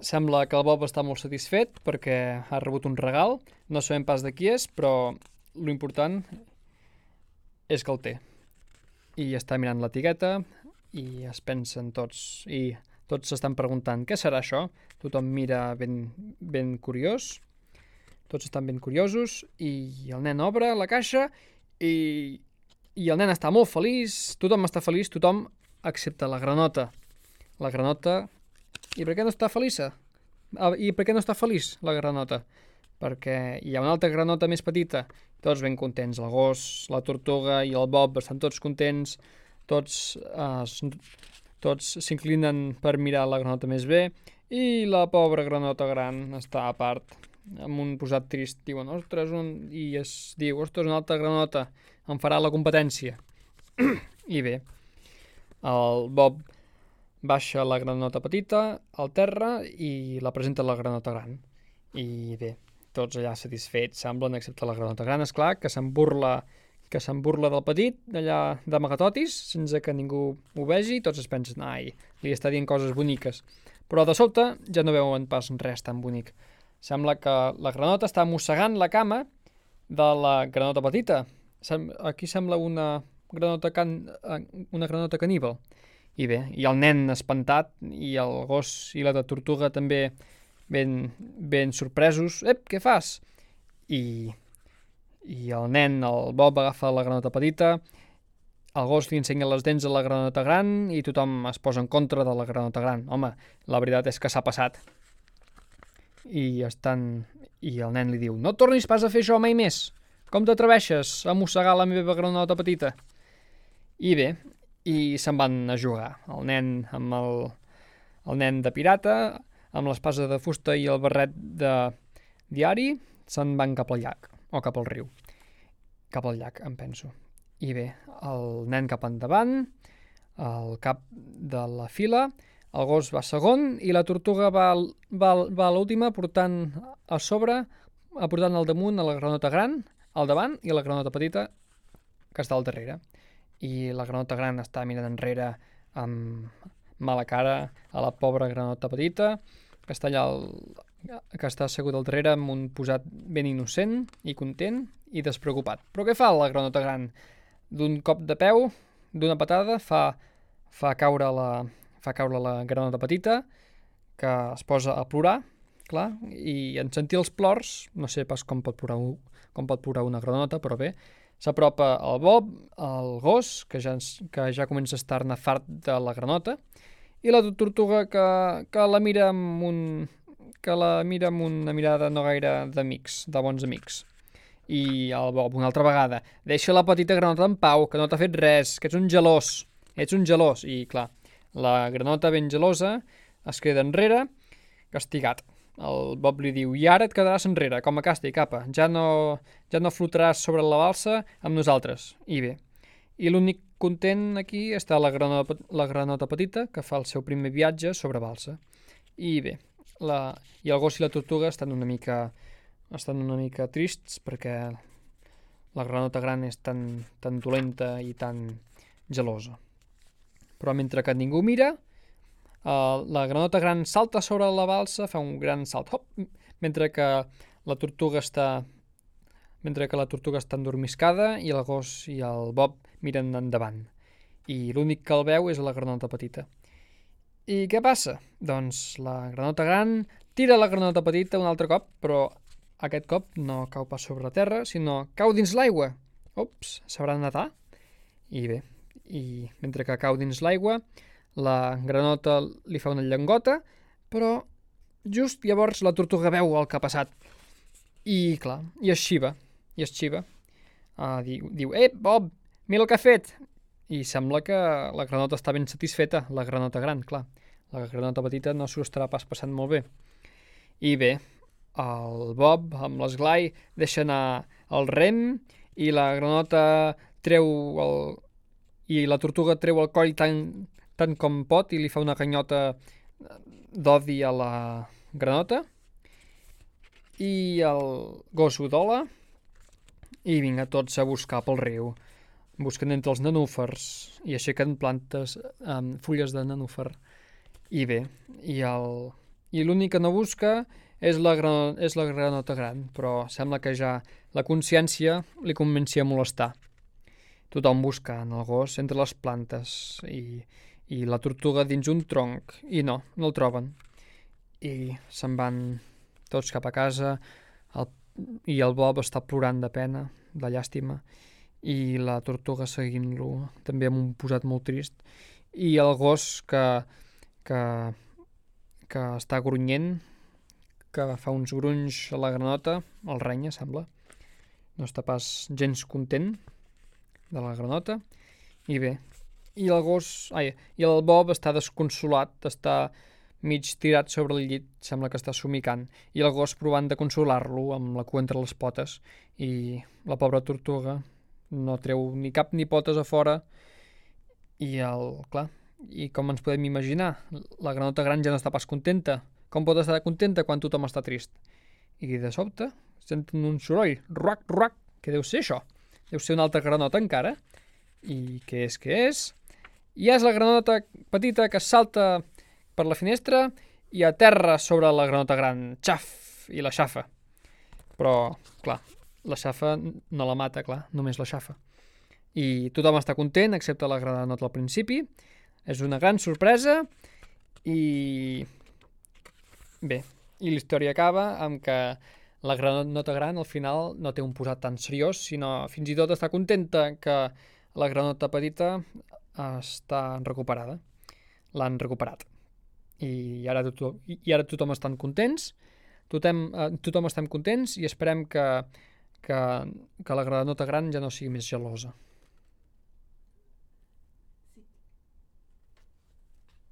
sembla que el Bob està molt satisfet perquè ha rebut un regal. No sabem pas de qui és, però l'important és que el té. I està mirant l'etiqueta i es pensen tots. I tots s'estan preguntant què serà això. Tothom mira ben curiós. Tots estan ben curiosos i el nen obre la caixa i el nen està molt feliç. Tothom està feliç, tothom excepte la granota. La granota... I per què no està feliça? I per què no està feliç la granota? Perquè hi ha una altra granota més petita. Tots ben contents. El gos, la tortuga i el Bob estan tots contents. Tots s'inclinen per mirar la granota més bé. I la pobra granota gran està a part, amb un posat trist. Diuen, ostres, i es diu, ostres, una altra granota em farà la competència. I bé, el Bob baixa la granota petita al terra i la presenta a la granota gran. I bé, tots allà satisfets semblen, excepte la granota gran, esclar, que se'n burla del petit, d'allà d'amagatotis, sense que ningú ho vegi. Tots es pensen, ai, li està dient coses boniques. Però de sobte ja no veuen pas res tan bonic. Sembla que la granota està mossegant la cama de la granota petita. Aquí sembla una granota caníbal. I bé, i el nen espantat, i el gos i la tortuga també ben sorpresos. Ep, què fas? I el nen, el Bob, agafa la granota petita, el gos li ensenya les dents a la granota gran i tothom es posa en contra de la granota gran. Home, la veritat és que s'ha passat. I el nen li diu, no tornis pas a fer això mai més. Com t'atreveixes a mossegar la meva granota petita? I bé, i se'n van a jugar. El nen amb el nen de pirata, amb l'espasa de fusta i el barret de diari, se'n van cap al llac, o cap al riu. Cap al llac, em penso. I bé, el nen cap endavant, al cap de la fila, el gos va segon i la tortuga va a l'última portant al damunt a la granota gran, al davant, i la granota petita que està al darrere. I la granota gran està mirant enrere amb mala cara a la pobra granota petita, que està allà que està assegut al darrere amb un posat ben innocent i content i despreocupat. Però què fa la granota gran? D'un cop de peu, d'una patada, fa caure la granota petita, que es posa a plorar, clar, i en sentir els plors, no sé pas com pot plorar una granota, però bé, s'apropa el Bob, el gos, que ja comença a estar-ne fart de la granota, i la tortuga que la mira amb una mirada no gaire d'amics, de bons amics. I el Bob, una altra vegada, deixa la petita granota en pau, que no t'ha fet res, que ets un gelós. I clar, la granota ben gelosa es queda enrere, castigat. El Bob li diu, i ara et quedaràs enrere, com a càstig, apa, ja no flotaràs sobre la balsa amb nosaltres. I bé, i l'únic content aquí està la granota petita, que fa el seu primer viatge sobre balsa. I bé, i el gos i la tortuga estan una mica trists perquè la granota gran és tan dolenta i tan gelosa. Però mentre que ningú mira, la granota gran salta sobre la balsa, fa un gran salt, hop, mentre que la tortuga està endormiscada i el gos i el Bob miren endavant. I l'únic que el veu és la granota petita. I què passa? Doncs la granota gran tira la granota petita un altre cop, però aquest cop no cau pas sobre la terra, sinó cau dins l'aigua. Ups, sabrà nedar? I bé, i mentre que cau dins l'aigua, la granota li fa una llengota, però just llavors la tortuga veu el que ha passat. I clar, i es xiva. Diu, Bob, mira el que ha fet. I sembla que la granota està ben satisfeta, la granota gran, clar. La granota petita no s'ho estarà pas passant molt bé. I bé, el Bob, amb l'esglai, deixa anar el rem i la granota i la tortuga treu el coll tant com pot i li fa una ganyota d'odi a la granota. I el gos ho dola i vinga tots a buscar pel riu. Busquen entre els nenúfars i aixequen fulles de nenúfar. I bé, i i l'únic que no busca és la granota gran, però sembla que ja la consciència li comenci a molestar. Tothom buscant el gos entre les plantes i la tortuga dins un tronc, i no el troben. I se'n van tots cap a casa, i el Bob està plorant de pena, de llàstima, i la tortuga seguint-lo, també amb un posat molt trist, i el gos que està grunyent, que fa uns grunys a la granota, el renya, sembla. No està pas gens content de la granota. I bé, i el Bob està desconsolat, està mig tirat sobre el llit, sembla que està somicant, i el gos provant de consolar-lo amb la cua entre les potes, i la pobra tortuga no treu ni cap ni potes a fora, i com ens podem imaginar, la granota gran ja no està pas contenta. Com pot estar contenta quan tothom està trist? I de sobte senten un soroll, ruac, ruac, què deu ser això? Deu ser una altra granota encara? I què és? I és la granota petita que salta per la finestra i aterra sobre la granota gran, xaf, i la xafa. Però, clar, la xafa no la mata, clar, només la xafa. I tothom està content, excepte la granota al principi. És una gran sorpresa i... Bé, i la història acaba amb que la granota gran al final no té un posat tan seriós, sinó fins i tot està contenta que la granota petita està recuperada. L'han recuperat. I ara tothom estan contents, tothom estem contents i esperem que la granota gran ja no sigui més gelosa.